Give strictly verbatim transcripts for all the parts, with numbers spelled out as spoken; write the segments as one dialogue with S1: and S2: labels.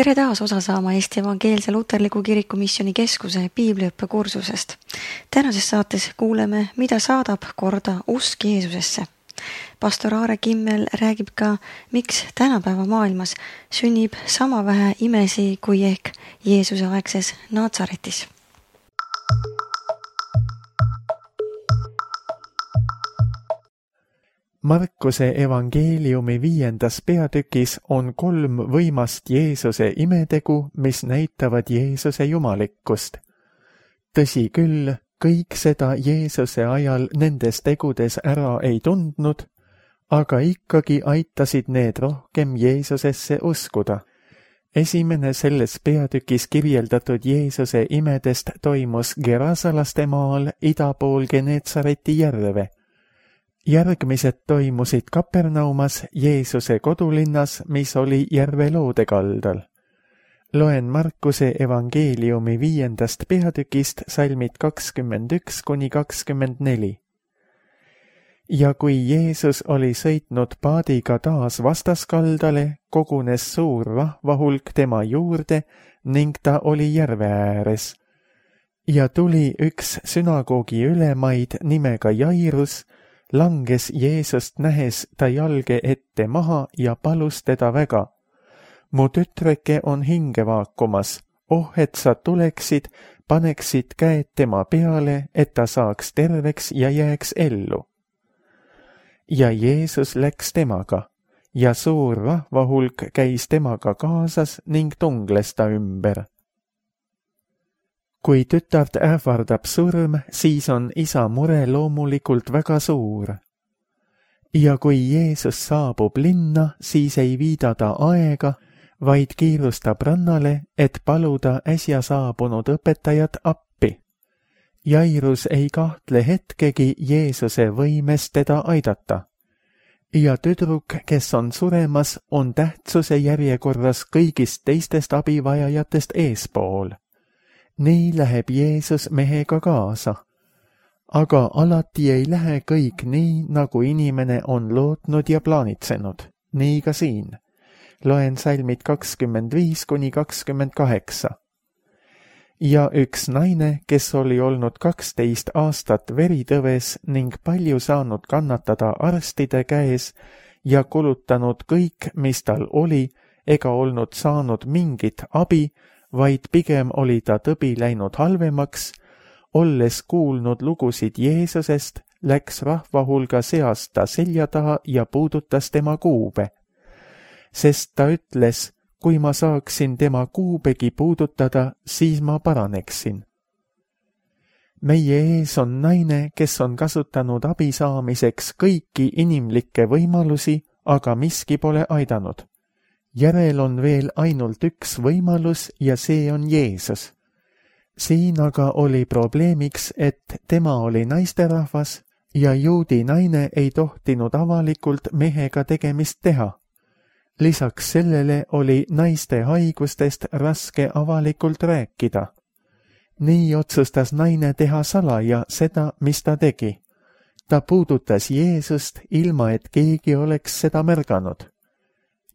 S1: Tere taas osa saama Eesti Evangeelse Luterliku Kiriku Missiooni Keskuse piibliõppe kursusest. Tänases saates kuuleme, mida saadab korda usk Jeesusesse. Pastor Aare Kimmel räägib ka, miks tänapäeva maailmas sünnib sama vähe imesi kui ehk Jeesuse aegses Naatsaretis.
S2: Markuse evangeeliumi viiendas peatükis on kolm võimast Jeesuse imetegu, mis näitavad Jeesuse jumalikkust. Tõsi küll, kõik seda Jeesuse ajal nendes tegudes ära ei tundnud, aga ikkagi aitasid need rohkem Jeesusesse uskuda. Esimene selles peatükis kirjeldatud Jeesuse imedest toimus Gerasalaste maal idapool Geneetsareti järve. Järgmised toimusid Kapernaumas, Jeesuse kodulinnas, mis oli järve loode kaldal. Loen Markuse evangeeliumi viiendast peatükist salmid kakskümmend üks kuni kakskümmend neli. Ja kui Jeesus oli sõitnud paadiga taas vastaskaldale, kogunes suur rahvahulk tema juurde ning ta oli järve ääres. Ja tuli üks sünagoogi ülemaid nimega Jairus, langes Jeesust nähes ta jalge ette maha ja palus teda väga. Mu tütreke on hinge vaakumas, oh et sa tuleksid, paneksid käed tema peale, et ta saaks terveks ja jääks ellu. Ja Jeesus läks temaga, ja suur rahvahulk käis temaga kaasas ning tungles ta ümber. Kui tütart ähvardab surm, siis on isa mure loomulikult väga suur. Ja kui Jeesus saabub linna, siis ei viida ta aega, vaid kiirustab rannale, et paluda äsja saabunud õpetajat appi. Jairus ei kahtle hetkegi Jeesuse võimes teda aidata. Ja tüdruk, kes on suremas, on tähtsuse järjekorras kõigist teistest abivajajatest eespool. Nii läheb Jeesus mehega kaasa. Aga alati ei lähe kõik nii, nagu inimene on lootnud ja plaanitsenud. Nii ka siin. Loen salmid kakskümmend viis kuni kakskümmend kaheksa. Ja üks naine, kes oli olnud kaksteist aastat veritõves ning palju saanud kannatada arstide käes ja kulutanud kõik, mis tal oli, ega olnud saanud mingit abi, vaid pigem oli ta tõbi läinud halvemaks, olles kuulnud lugusid Jeesusest, läks rahvahulga seast ta selja taha ja puudutas tema kuube. Sest ta ütles, kui ma saaksin tema kuubegi puudutada, siis ma paraneksin. Meie ees on naine, kes on kasutanud abi saamiseks kõiki inimlikke võimalusi, aga miski pole aidanud. Järel on veel ainult üks võimalus ja see on Jeesus. Siin aga oli probleemiks, et tema oli naisterahvas ja juudi naine ei tohtinud avalikult mehega tegemist teha. Lisaks sellele oli naiste haigustest raske avalikult rääkida. Nii otsustas naine teha salaja seda, mis ta tegi. Ta puudutas Jeesust, ilma et keegi oleks seda märganud.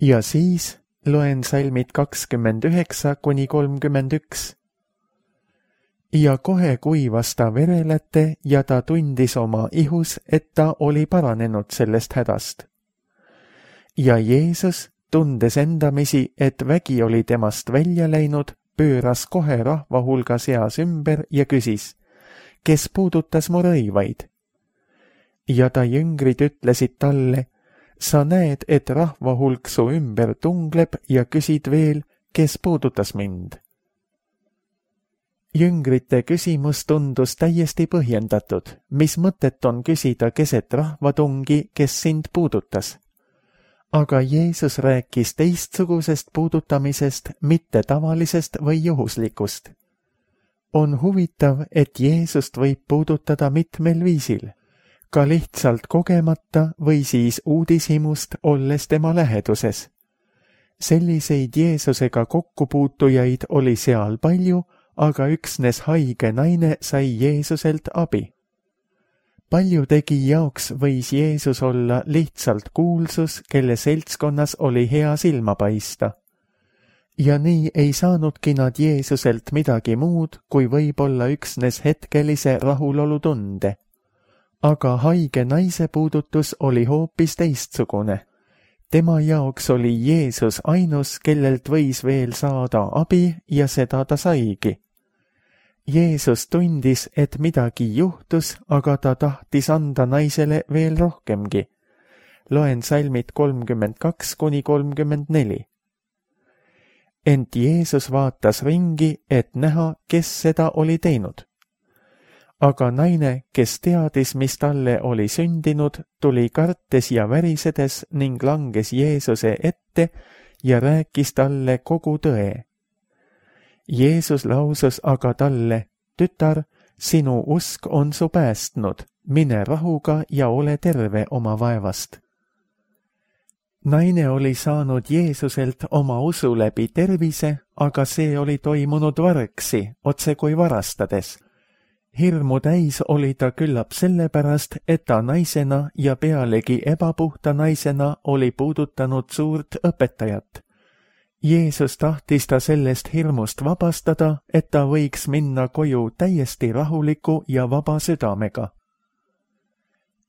S2: Ja siis loen salmid kakskümmend üheksa kuni kolmkümmend üks. Ja kohe kuivas ta vereläte ja ta tundis oma ihus, et ta oli paranenud sellest hädast. Ja Jeesus, tundes endamisi, et vägi oli temast välja läinud, pööras kohe rahvahulga seas ümber ja küsis, kes puudutas mu rõivaid? Ja ta jüngrid ütlesid talle, sa näed, et rahvahulk su ümber tungleb ja küsid veel, kes puudutas mind. Jüngrite küsimus tundus täiesti põhjendatud, mis mõtet on küsida keset rahvatungi, kes sind puudutas. Aga Jeesus rääkis teistsugusest puudutamisest, mitte tavalisest või juhuslikust. On huvitav, et Jeesust võib puudutada mitmel viisil. Ka lihtsalt kogemata või siis uudishimust olles tema läheduses. Selliseid Jeesusega kokkupuutujaid oli seal palju, aga üksnes haige naine sai Jeesuselt abi. Paljudegi jaoks võis Jeesus olla lihtsalt kuulsus, kelle seltskonnas oli hea silma paista. ja nii ei saanudki nad Jeesuselt midagi muud, kui võib-olla üksnes hetkelise rahulolutunde. Aga haige naise puudutus oli hoopis teistsugune. Tema jaoks oli Jeesus ainus, kellelt võis veel saada abi ja seda ta saigi. Jeesus tundis, et midagi juhtus, aga ta tahtis anda naisele veel rohkemgi. Loen salmid kolmkümmend kaks kuni kolmkümmend neli. Ent Jeesus vaatas ringi, et näha, kes seda oli teinud. Aga naine, kes teadis, mis talle oli sündinud, tuli kartes ja värisedes ning langes Jeesuse ette ja rääkis talle kogu tõe. Jeesus lausus aga talle, tütar, sinu usk on su päästnud, mine rahuga ja ole terve oma vaevast. Naine oli saanud Jeesuselt oma usu läbi tervise, aga see oli toimunud vargsi, otse kui varastades. Hirmu täis oli ta küllap sellepärast, et ta naisena ja pealegi ebapuhta naisena oli puudutanud suurt õpetajat. Jeesus tahtis ta sellest hirmust vabastada, et ta võiks minna koju täiesti rahuliku ja vaba südamega.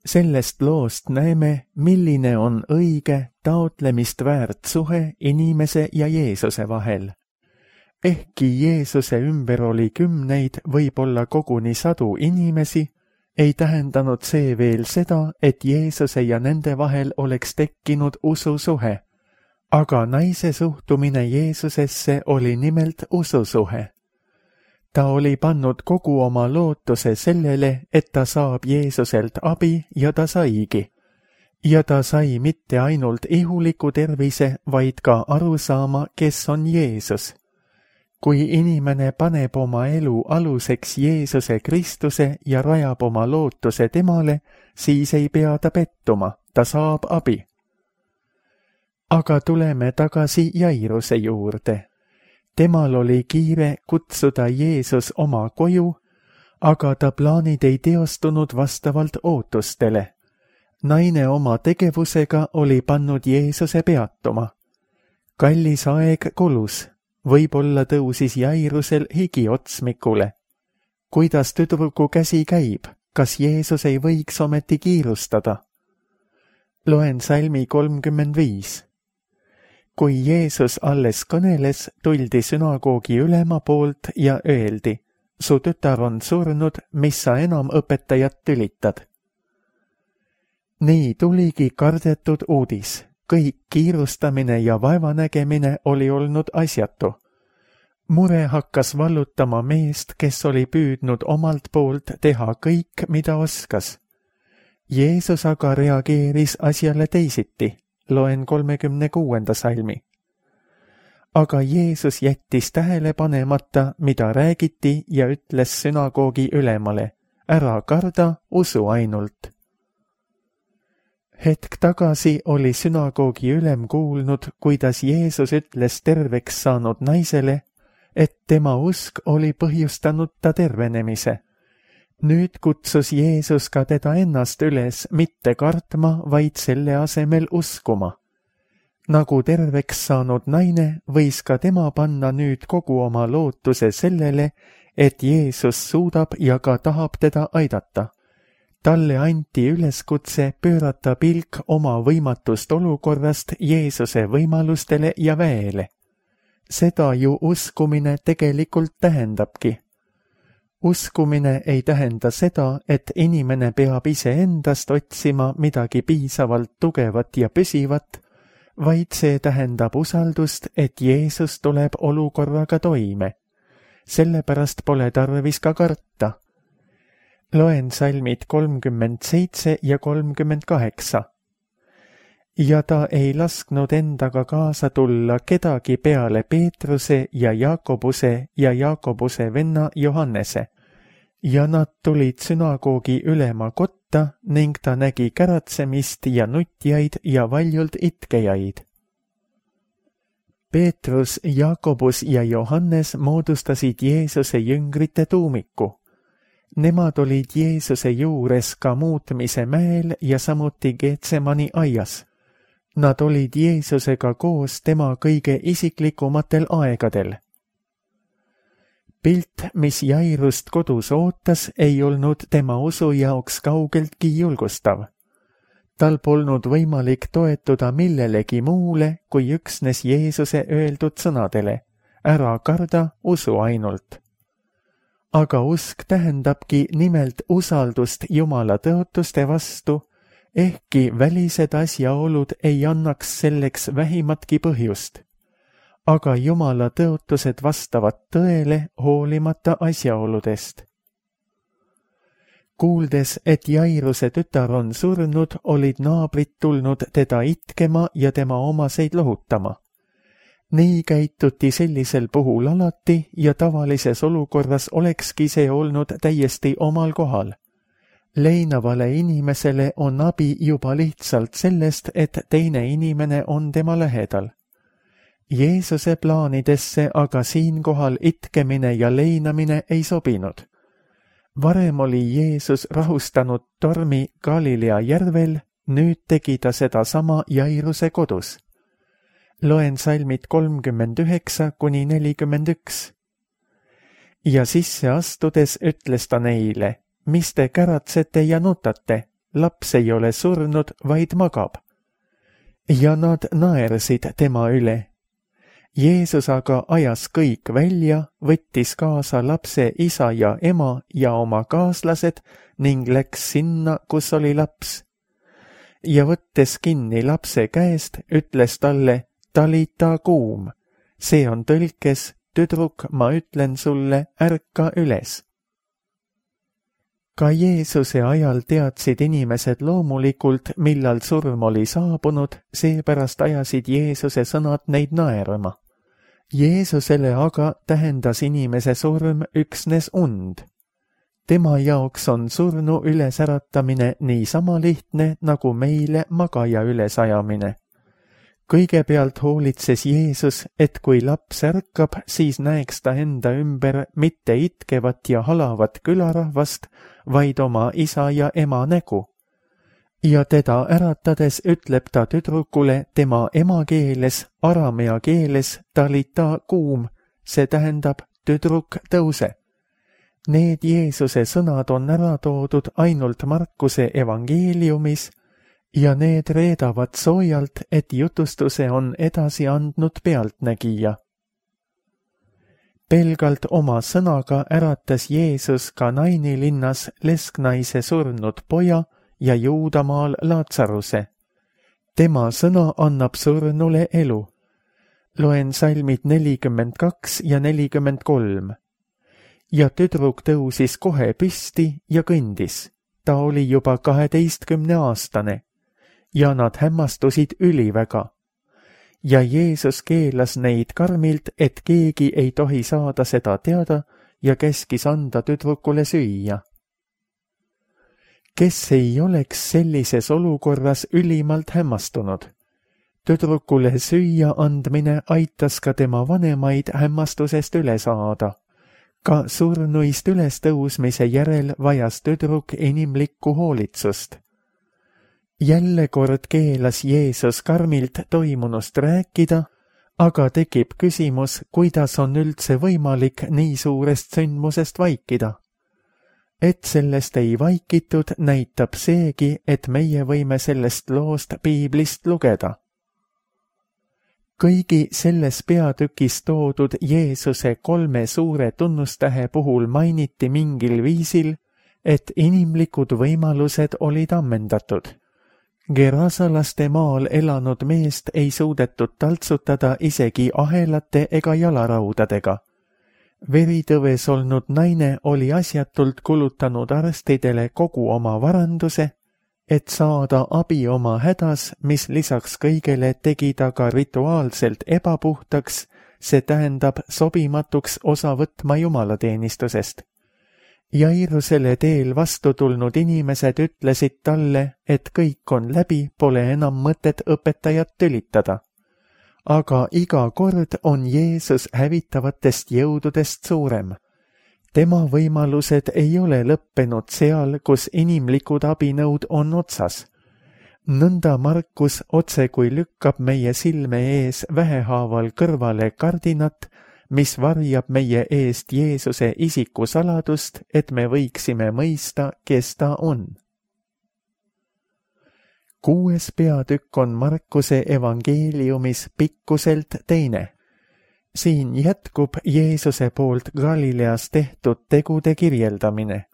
S2: Sellest loost näeme, milline on õige, taotlemist väärt suhe inimese ja Jeesuse vahel. Ehkki Jeesuse ümber oli kümneid, võib-olla koguni sadu inimesi, ei tähendanud see veel seda, et Jeesuse ja nende vahel oleks tekkinud ususuhe. Aga naise suhtumine Jeesusesse oli nimelt ususuhe. Ta oli pannud kogu oma lootuse sellele, et ta saab Jeesuselt abi ja ta saigi. Ja ta sai mitte ainult ihuliku tervise, vaid ka aru saama, kes on Jeesus. Kui inimene paneb oma elu aluseks Jeesuse Kristuse ja rajab oma lootuse temale, siis ei pea ta pettuma, ta saab abi. Aga tuleme tagasi Jairuse juurde. Temal oli kiire kutsuda Jeesus oma koju, aga ta plaanid ei teostunud vastavalt ootustele. Naine oma tegevusega oli pannud Jeesuse peatuma. Kallis aeg kulus, võib-olla tõusis Jairusel higi otsmikule. Kuidas tüdruku käsi käib, kas Jeesus ei võiks ometi kiirustada? Loen salmi kolmkümmend viis. Kui Jeesus alles kõneles, tuldi sünagoogi ülema poolt ja öeldi, su tütar on surnud, mis sa enam õpetajat tülitad. Nii tuligi kardetud uudis, kõik kiirustamine ja vaevanägemine oli olnud asjatu. Mure hakkas vallutama meest, kes oli püüdnud omalt poolt teha kõik, mida oskas. Jeesus aga reageeris asjale teisiti. Loen kolmekümne kuuenda salmi. Aga Jeesus jättis tähele panemata, mida räägiti ja ütles sünagoogi ülemale, ära karda, usu ainult. Hetk tagasi oli sünagoogi ülem kuulnud, kuidas Jeesus ütles terveks saanud naisele, et tema usk oli põhjustanud ta tervenemise. Nüüd kutsus Jeesus ka teda ennast üles mitte kartma, vaid selle asemel uskuma. Nagu terveks saanud naine, võis ka tema panna nüüd kogu oma lootuse sellele, et Jeesus suudab ja ka tahab teda aidata. Talle anti üleskutse pöörata pilk oma võimatust olukorrast Jeesuse võimalustele ja väele. Seda ju uskumine tegelikult tähendabki. Uskumine ei tähenda seda, et inimene peab iseendast otsima midagi piisavalt tugevat ja püsivat, vaid see tähendab usaldust, et Jeesus tuleb olukorraga toime. Sellepärast pole tarvis ka karta. Loen salmid kolmkümmend seitse ja kolmkümmend kaheksa. Ja ta ei lasknud endaga kaasa tulla kedagi peale Peetruse ja Jaakobuse ja Jaakobuse venna Johannese. Ja nad tulid sünagoogi ülema kotta ning ta nägi käratsemist ja nutjaid ja valjult itkejaid. Peetrus, Jaakobus ja Johannes moodustasid Jeesuse jüngrite tuumiku. Nemad olid Jeesuse juures ka muutmise mäel ja samuti Getsemani aias. Nad olid Jeesusega koos tema kõige isiklikumatel aegadel. Pilt, mis Jairust kodus ootas, ei olnud tema usu jaoks kaugeltki julgustav. Tal polnud võimalik toetuda millelegi muule kui üksnes Jeesuse öeldud sõnadele. Ära karda, usu ainult. Aga usk tähendabki nimelt usaldust Jumala tõotuste vastu, ehkki välised asjaolud ei annaks selleks vähimatki põhjust. Aga Jumala tõotused vastavad tõele hoolimata asjaoludest. Kuuldes, et Jairuse tütar on surnud, olid naabrid tulnud teda itkema ja tema omaseid lohutama. Nii käituti sellisel puhul alati ja tavalises olukorras olekski see olnud täiesti omal kohal. Leinavale inimesele on abi juba lihtsalt sellest, et teine inimene on tema lähedal. Jeesuse plaanidesse aga siinkohal itkemine ja leinamine ei sobinud. Varem oli Jeesus rahustanud tormi Galilea järvel, nüüd tegi ta seda sama Jairuse kodus. Loen salmid kolmkümmend üheksa kuni nelikümmend üks. Ja sisse astudes ütles ta neile, mis te käratsete ja nutate, laps ei ole surnud, vaid magab. Ja nad naersid tema üle. Jeesus aga ajas kõik välja, võttis kaasa lapse isa ja ema ja oma kaaslased ning läks sinna, kus oli laps. Ja võttes kinni lapse käest, ütles talle, talita kuum, see on tõlkes, tüdruk, ma ütlen sulle, ärka üles. Ka Jeesuse ajal teadsid inimesed loomulikult, millal surm oli saabunud, seepärast ajasid Jeesuse sõnad neid naerma. Jeesusele aga tähendas inimese surm üksnes und. Tema jaoks on surnu ülesäratamine nii sama lihtne, nagu meile magaja ülesajamine. Kõigepealt hoolitses Jeesus, et kui laps ärkab, siis näeks ta enda ümber mitte itkevat ja halavat külarahvast, vaid oma isa ja ema nägu. Ja teda äratades ütleb ta tüdrukule tema emakeeles, aramea keeles talita kuum, see tähendab tüdruk tõuse. Need Jeesuse sõnad on ära toodud ainult Markuse evangeeliumis ja need reedavad soojalt, et jutustuse on edasi andnud pealtnägija. Pelgalt oma sõnaga äratas Jeesus ka Naini linnas lesknaise surnud poja ja Juudamaal Laatsaruse. Tema sõna annab surnule elu. Loen salmid nelikümmend kaks ja nelikümmend kolm. Ja tüdruk tõusis kohe püsti ja kõndis. Ta oli juba kaheteistkümne aastane. Ja nad hämmastusid üliväga. Ja Jeesus keelas neid karmilt, et keegi ei tohi saada seda teada ja käskis anda tüdrukule süüa. Kes ei oleks sellises olukorras ülimalt hämmastunud? Tüdrukule süüa andmine aitas ka tema vanemaid hämmastusest üle saada. Ka surnuist ülestõusmise järel vajas tüdruk inimlikku hoolitsust. Jälle kord keelas Jeesus karmilt toimunust rääkida, aga tekib küsimus, kuidas on üldse võimalik nii suurest sündmusest vaikida. Et sellest ei vaikitud, näitab seegi, et meie võime sellest loost piiblist lugeda. Kõigi selles peatükis toodud Jeesuse kolme suure tunnustähe puhul mainiti mingil viisil, et inimlikud võimalused olid ammendatud. Gerasalaste maal elanud meest ei suudetud taltsutada isegi ahelate ega jalaraudadega. Veritõves olnud naine oli asjatult kulutanud arstidele kogu oma varanduse, et saada abi oma hädas, mis lisaks kõigele tegi ta ka rituaalselt ebapuhtaks, see tähendab sobimatuks osa võtma jumalateenistusest. Jairusele teel vastu tulnud inimesed ütlesid talle, et kõik on läbi, pole enam mõtet õpetajat tülitada. Aga iga kord on Jeesus hävitavatest jõududest suurem. Tema võimalused ei ole lõppenud seal, kus inimlikud abinõud on otsas. nõnda Markus otse kui lükkab meie silme ees vähehaaval kõrvale kardinat, mis varjab meie eest Jeesuse isiku saladust, et me võiksime mõista, kes ta on. Kuues peatükk on Markuse evangeeliumis pikkuselt teine. Siin jätkub Jeesuse poolt Galileas tehtud tegude kirjeldamine.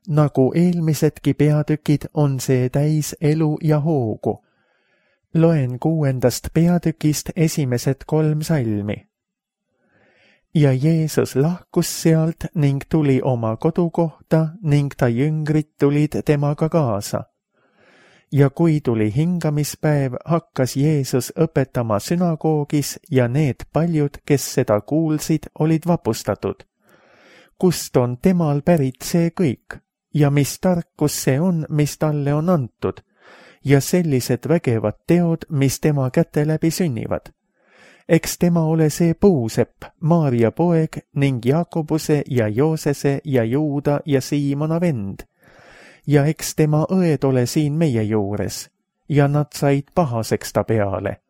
S2: Nagu eelmisedki peatükid on see täis elu ja hoogu. Loen kuuendast peatükist esimesed kolm salmi. Ja Jeesus lahkus sealt ning tuli oma kodukohta ning ta jüngrid tulid temaga kaasa. Ja kui tuli hingamispäev, hakkas Jeesus õpetama sünagoogis ja need paljud, kes seda kuulsid, olid vapustatud. Kust on temal pärit see kõik? Ja mis tarkus see on, mis talle on antud, ja sellised vägevad teod, mis tema käte läbi sünnivad. Eks tema ole see puusepp, Maarja poeg ning Jaakobuse ja Joosese ja Juuda ja Siimona vend. Ja eks tema õed ole siin meie juures, ja nad said pahaseks ta peale.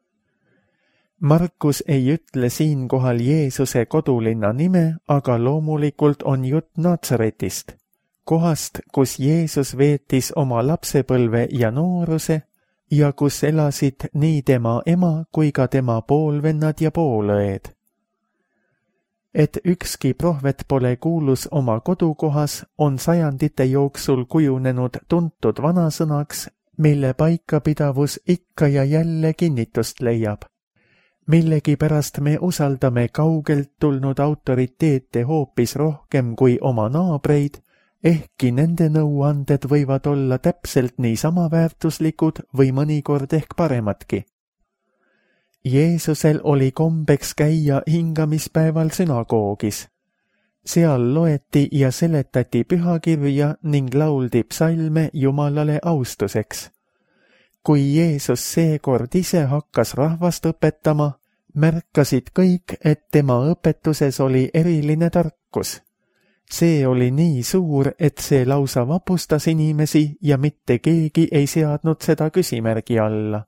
S2: Markus ei ütle siinkohal Jeesuse kodulinna nime, aga loomulikult on jutt Natsaretist. Kohast, kus Jeesus veetis oma lapsepõlve ja nooruse ja kus elasid nii tema ema kui ka tema poolvennad ja poolõed. Et ükski prohvet pole kuulus oma kodukohas, on sajandite jooksul kujunenud tuntud vanasõnaks, mille paikapidavus ikka ja jälle kinnitust leiab. Millegipärast me usaldame kaugelt tulnud autoriteete hoopis rohkem kui oma naabreid, ehkki nende nõuanded võivad olla täpselt niisama väärtuslikud või mõnikord ehk paremadki. Jeesusel oli kombeks käia hingamispäeval sünagoogis. Seal loeti ja seletati pühakirja ning lauldi psalme Jumalale austuseks. Kui Jeesus seekord ise hakkas rahvast õpetama, märkasid kõik, et tema õpetuses oli eriline tarkus. See oli nii suur, et see lausa vapustas inimesi ja mitte keegi ei seadnud seda küsimärgi alla.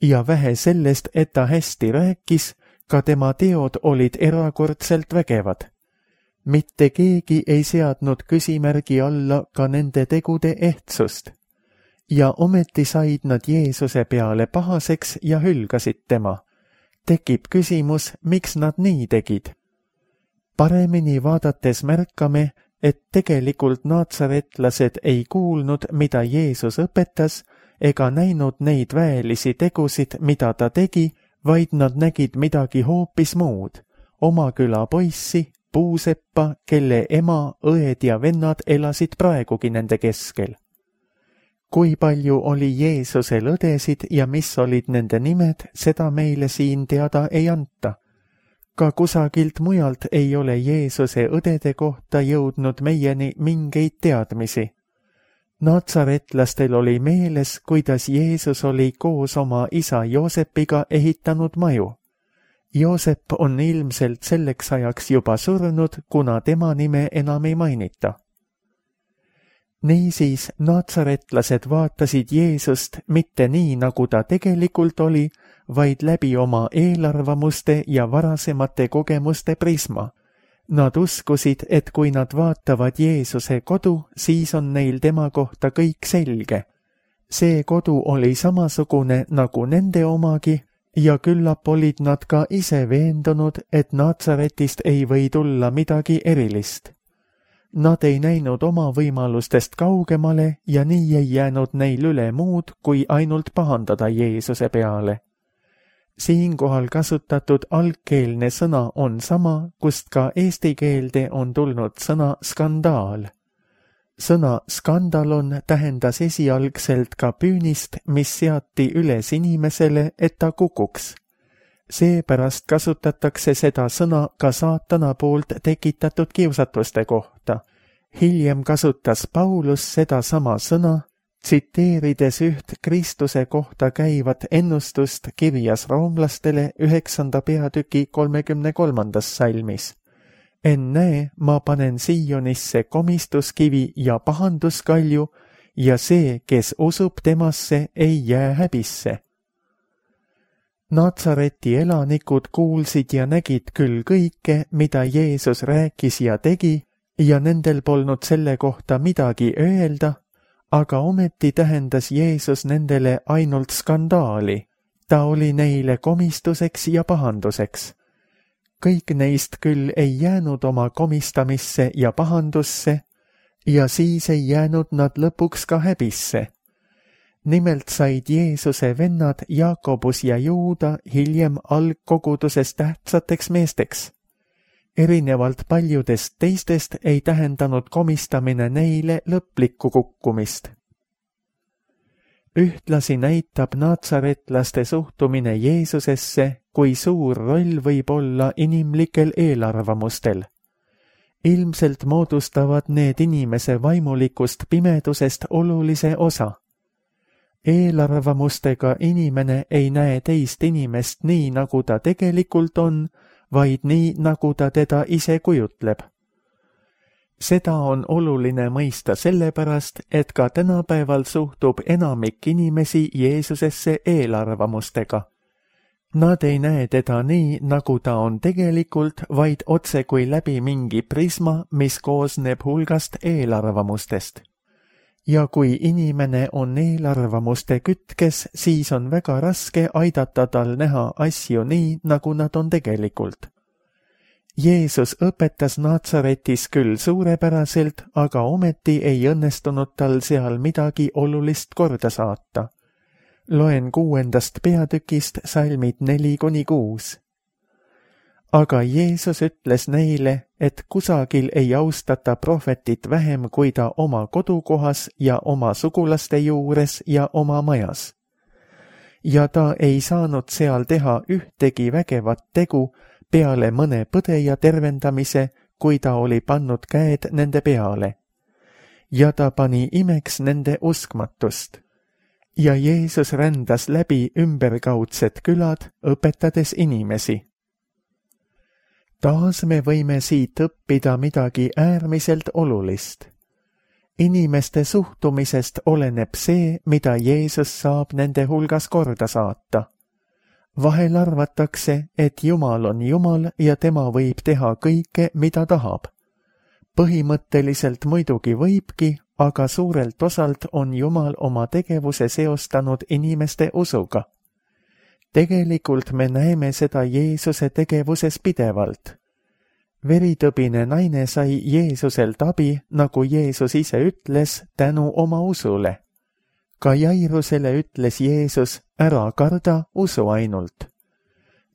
S2: Ja vähe sellest, et ta hästi rääkis, ka tema teod olid erakordselt vägevad. Mitte keegi ei seadnud küsimärgi alla ka nende tegude ehtsust. Ja ometi said nad Jeesuse peale pahaseks ja hülgasid tema. Tekib küsimus, miks nad nii tegid? Paremini vaadates märkame, et tegelikult naatsaretlased ei kuulnud, mida Jeesus õpetas, ega näinud neid väelisi tegusid, mida ta tegi, vaid nad nägid midagi hoopis muud. Oma küla poissi, puuseppa, kelle ema, õed ja vennad elasid praegugi nende keskel. Kui palju oli Jeesusel õdesid ja mis olid nende nimed, seda meile siin teada ei anta. Ka kusagilt mujalt ei ole Jeesuse õdede kohta jõudnud meieni mingeid teadmisi. Natsaretlastel oli meeles, kuidas Jeesus oli koos oma isa Joosepiga ehitanud maju. Joosep on ilmselt selleks ajaks juba surnud, kuna tema nime enam ei mainita. Niisiis natsaretlased vaatasid Jeesust mitte nii, nagu ta tegelikult oli, vaid läbi oma eelarvamuste ja varasemate kogemuste prisma. Nad uskusid, et kui nad vaatavad Jeesuse kodu, siis on neil tema kohta kõik selge. See kodu oli samasugune nagu nende omagi ja küllap olid nad ka ise veendunud, et Natsaretist ei või tulla midagi erilist. Nad ei näinud oma võimalustest kaugemale ja nii ei jäänud neil üle muud, kui ainult pahandada Jeesuse peale. Siinkohal kasutatud algkeelne sõna on sama, kust ka eesti keelde on tulnud sõna skandaal. Sõna skandalon tähendas esialgselt ka püünist, mis seati üles inimesele, et ta kukuks. Seepärast kasutatakse seda sõna ka saatana poolt tekitatud kiusatuste kohta. Hiljem kasutas Paulus seda sama sõna, tsiteerides üht Kristuse kohta käivat ennustust kirjas roomlastele üheksanda peatüki kolmekümne kolmandas salmis. Ennäe, ma panen Siionisse komistuskivi ja pahanduskalju ja see, kes usub temasse, ei jää häbisse. Natsareti elanikud kuulsid ja nägid küll kõike, mida Jeesus rääkis ja tegi, ja nendel polnud selle kohta midagi öelda, aga ometi tähendas Jeesus nendele ainult skandaali. Ta oli neile komistuseks ja pahanduseks. Kõik neist küll ei jäänud oma komistamisse ja pahandusse, ja siis ei jäänud nad lõpuks ka häbisse. Nimelt said Jeesuse vennad Jaakobus ja Juuda hiljem algkoguduses tähtsateks meesteks. Erinevalt paljudest teistest ei tähendanud komistamine neile lõplikku kukkumist. Ühtlasi näitab natsaretlaste suhtumine Jeesusesse, kui suur roll võib olla inimlikel eelarvamustel. Ilmselt moodustavad need inimese vaimulikust pimedusest olulise osa. Eelarvamustega inimene ei näe teist inimest nii, nagu ta tegelikult on, vaid nii, nagu ta teda ise kujutleb. Seda on oluline mõista sellepärast, et ka tänapäeval suhtub enamik inimesi Jeesusesse eelarvamustega. Nad ei näe teda nii, nagu ta on tegelikult, vaid otse kui läbi mingi prisma, mis koosneb hulgast eelarvamustest. Ja kui inimene on eelarvamuste kütkes, siis on väga raske aidata tal näha asju nii, nagu nad on tegelikult. Jeesus õpetas Natsaretis küll suurepäraselt, aga ometi ei õnnestunud tal seal midagi olulist korda saata. Loen kuuendast peatükist salmid neli kuni kuus. Aga Jeesus ütles neile, et kusagil ei austata prohvetit vähem kui ta oma kodukohas ja oma sugulaste juures ja oma majas. Ja ta ei saanud seal teha ühtegi vägevat tegu peale mõne põdeja tervendamise, kui ta oli pannud käed nende peale. Ja ta pani imeks nende uskmatust. Ja Jeesus rändas läbi ümberkaudsed külad, õpetades inimesi. Taas me võime siit õppida midagi äärmiselt olulist. Inimeste suhtumisest oleneb see, mida Jeesus saab nende hulgas korda saata. Vahel arvatakse, et Jumal on Jumal ja tema võib teha kõike, mida tahab. Põhimõtteliselt muidugi võibki, aga suurelt osalt on Jumal oma tegevuse seostanud inimeste usuga. Tegelikult me näeme seda Jeesuse tegevuses pidevalt. Veritõbine naine sai Jeesuselt abi, nagu Jeesus ise ütles, tänu oma usule. Ka Jairusele ütles Jeesus, ära karda, usu ainult.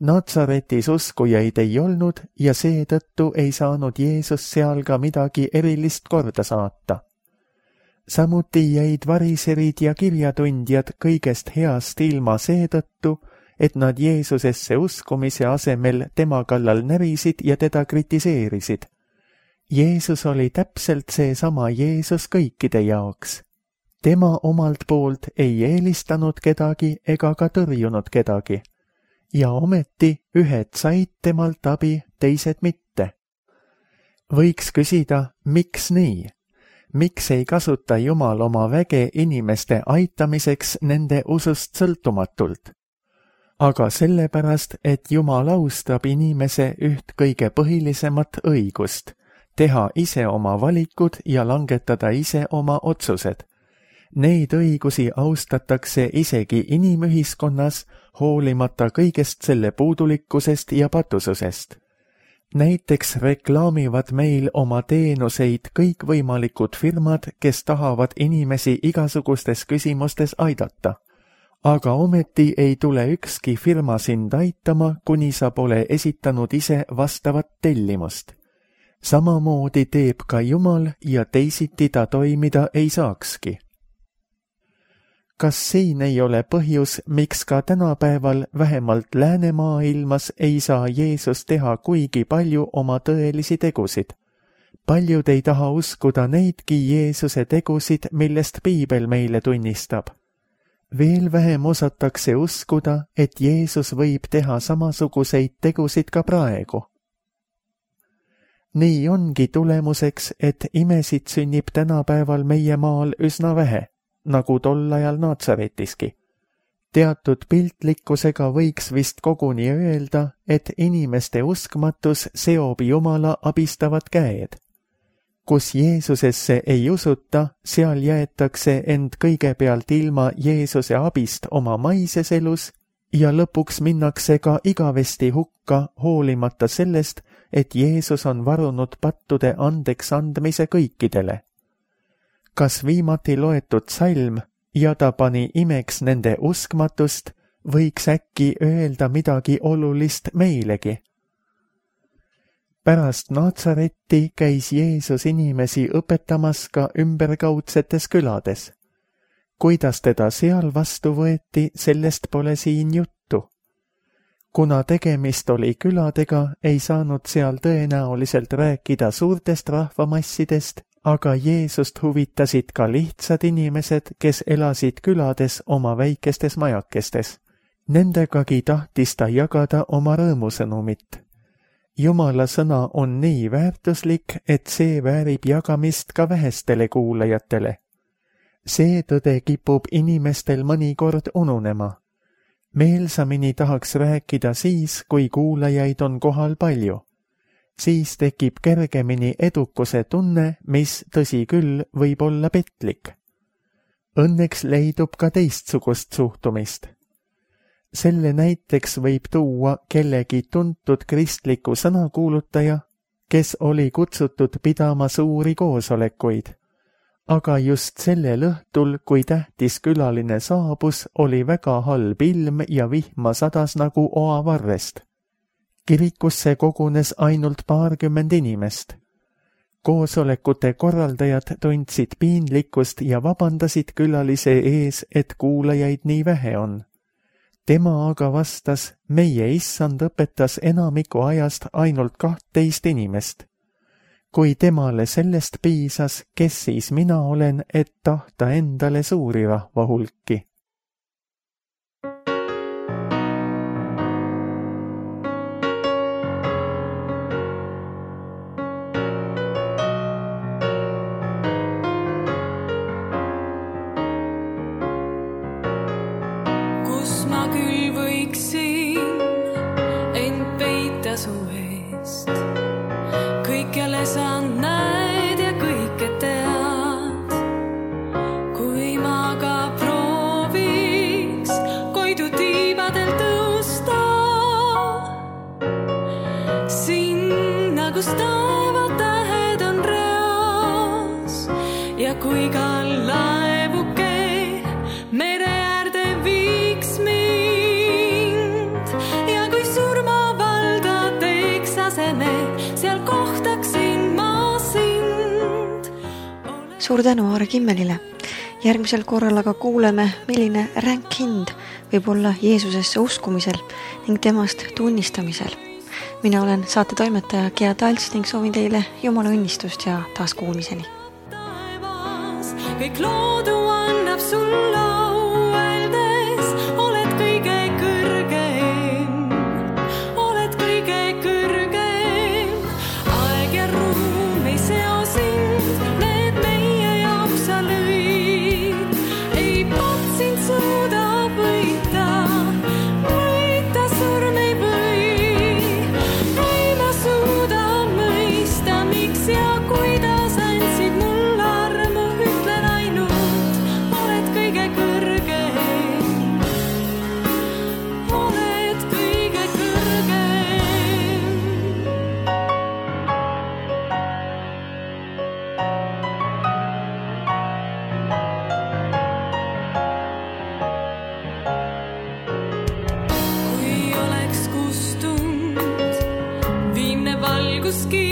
S2: Natsaretis uskujaid ei olnud ja seetõttu ei saanud Jeesus seal ka midagi erilist korda saata. Samuti jäid variserid ja kirjatundjad kõigest heast ilma seetõttu, et nad Jeesusesse uskumise asemel tema kallal närisid ja teda kritiseerisid. Jeesus oli täpselt seesama Jeesus kõikide jaoks. Tema omalt poolt ei eelistanud kedagi ega ka tõrjunud kedagi. Ja ometi ühed said temalt abi, teised mitte. Võiks küsida, miks nii? Miks ei kasuta Jumal oma väge inimeste aitamiseks nende usust sõltumatult? Aga sellepärast, et Jumal austab inimese üht kõige põhilisemat õigust, teha ise oma valikud ja langetada ise oma otsused. Neid õigusi austatakse isegi inimühiskonnas, hoolimata kõigest selle puudulikkusest ja patususest. Näiteks reklaamivad meil oma teenuseid kõikvõimalikud firmad, kes tahavad inimesi igasugustes küsimustes aidata. Aga ometi ei tule ükski firma sind aitama, kuni sa pole esitanud ise vastavat tellimust. Samamoodi teeb ka Jumal ja teisiti ta toimida ei saakski. Kas siin ei ole põhjus, miks ka tänapäeval vähemalt läänemaailmas ei saa Jeesus teha kuigi palju oma tõelisi tegusid? Paljud ei taha uskuda neidki Jeesuse tegusid, millest Piibel meile tunnistab. Veel vähem osatakse uskuda, et Jeesus võib teha samasuguseid tegusid ka praegu. Nii ongi tulemuseks, et imesid sünnib tänapäeval meie maal üsna vähe. nagu tol ajal Naatsaretiski. Teatud piltlikkusega võiks vist koguni öelda, et inimeste uskmatus seob Jumala abistavad käed. Kus Jeesusesse ei usuta, seal jäetakse end kõigepealt ilma Jeesuse abist oma maises elus ja lõpuks minnakse ka igavesti hukka, hoolimata sellest, et Jeesus on varunud pattude andeks andmise kõikidele. Kas viimati loetud salm ja ta pani imeks nende uskmatust, võiks äkki öelda midagi olulist meilegi? Pärast Naatsaretti käis Jeesus inimesi õpetamas ka ümberkaudsetes külades. Kuidas teda seal vastu võeti, sellest pole siin juttu. Kuna tegemist oli küladega, ei saanud seal tõenäoliselt rääkida suurtest rahvamassidest, aga Jeesust huvitasid ka lihtsad inimesed, kes elasid külades oma väikestes majakestes. Nendegagi tahtis ta jagada oma rõõmusõnumit. Jumala sõna on nii väärtuslik, et see väärib jagamist ka vähestele kuulajatele. See tõde kipub inimestel mõnikord ununema. Meelsamini tahaks rääkida siis, kui kuulajaid on kohal palju. Siis tekib kergemini edukuse tunne, mis, tõsi küll, võib olla petlik. Õnneks leidub ka teistsugust suhtumist. Selle näiteks võib tuua kellegi tuntud kristliku sõnakuulutaja, kes oli kutsutud pidama suuri koosolekuid. Aga just sellel õhtul, kui tähtis külaline saabus, oli väga halb ilm ja vihma sadas nagu oavarrest. Kirikusse kogunes ainult paarkümmend inimest. Koosolekute korraldajad tundsid piinlikkust ja vabandasid külalise ees, et kuulajaid nii vähe on. Tema aga vastas, meie issand õpetas enamiku ajast ainult kahtteist inimest. Kui temale sellest piisas, kes siis mina olen, et tahta endale suuri rahva hulki?
S1: Suur tänu Aare Kimmelile. Järgmisel korral aga kuuleme, milline ränk hind võib olla Jeesusesse uskumisel ning temast tunnistamisel. Mina olen saate toimetaja Gea Talts ning soovin teile Jumala õnnistust ja taas kuulmiseni. Kõik loodu annab sul au öeldes, oled kõige kõrgem, oled kõige kõrgem. Aeg ja ruum ei seo sind, need meie jaoks sa lõid. Ei pat sind suuda võita, võita surm ei või. Ei ma suuda mõista, miks ja kuidas andsid mul armu, ütlen ainult, oled kõige kõrgem, oled kõige kõrgem. Kui oleks kustunud viimne valguskiir,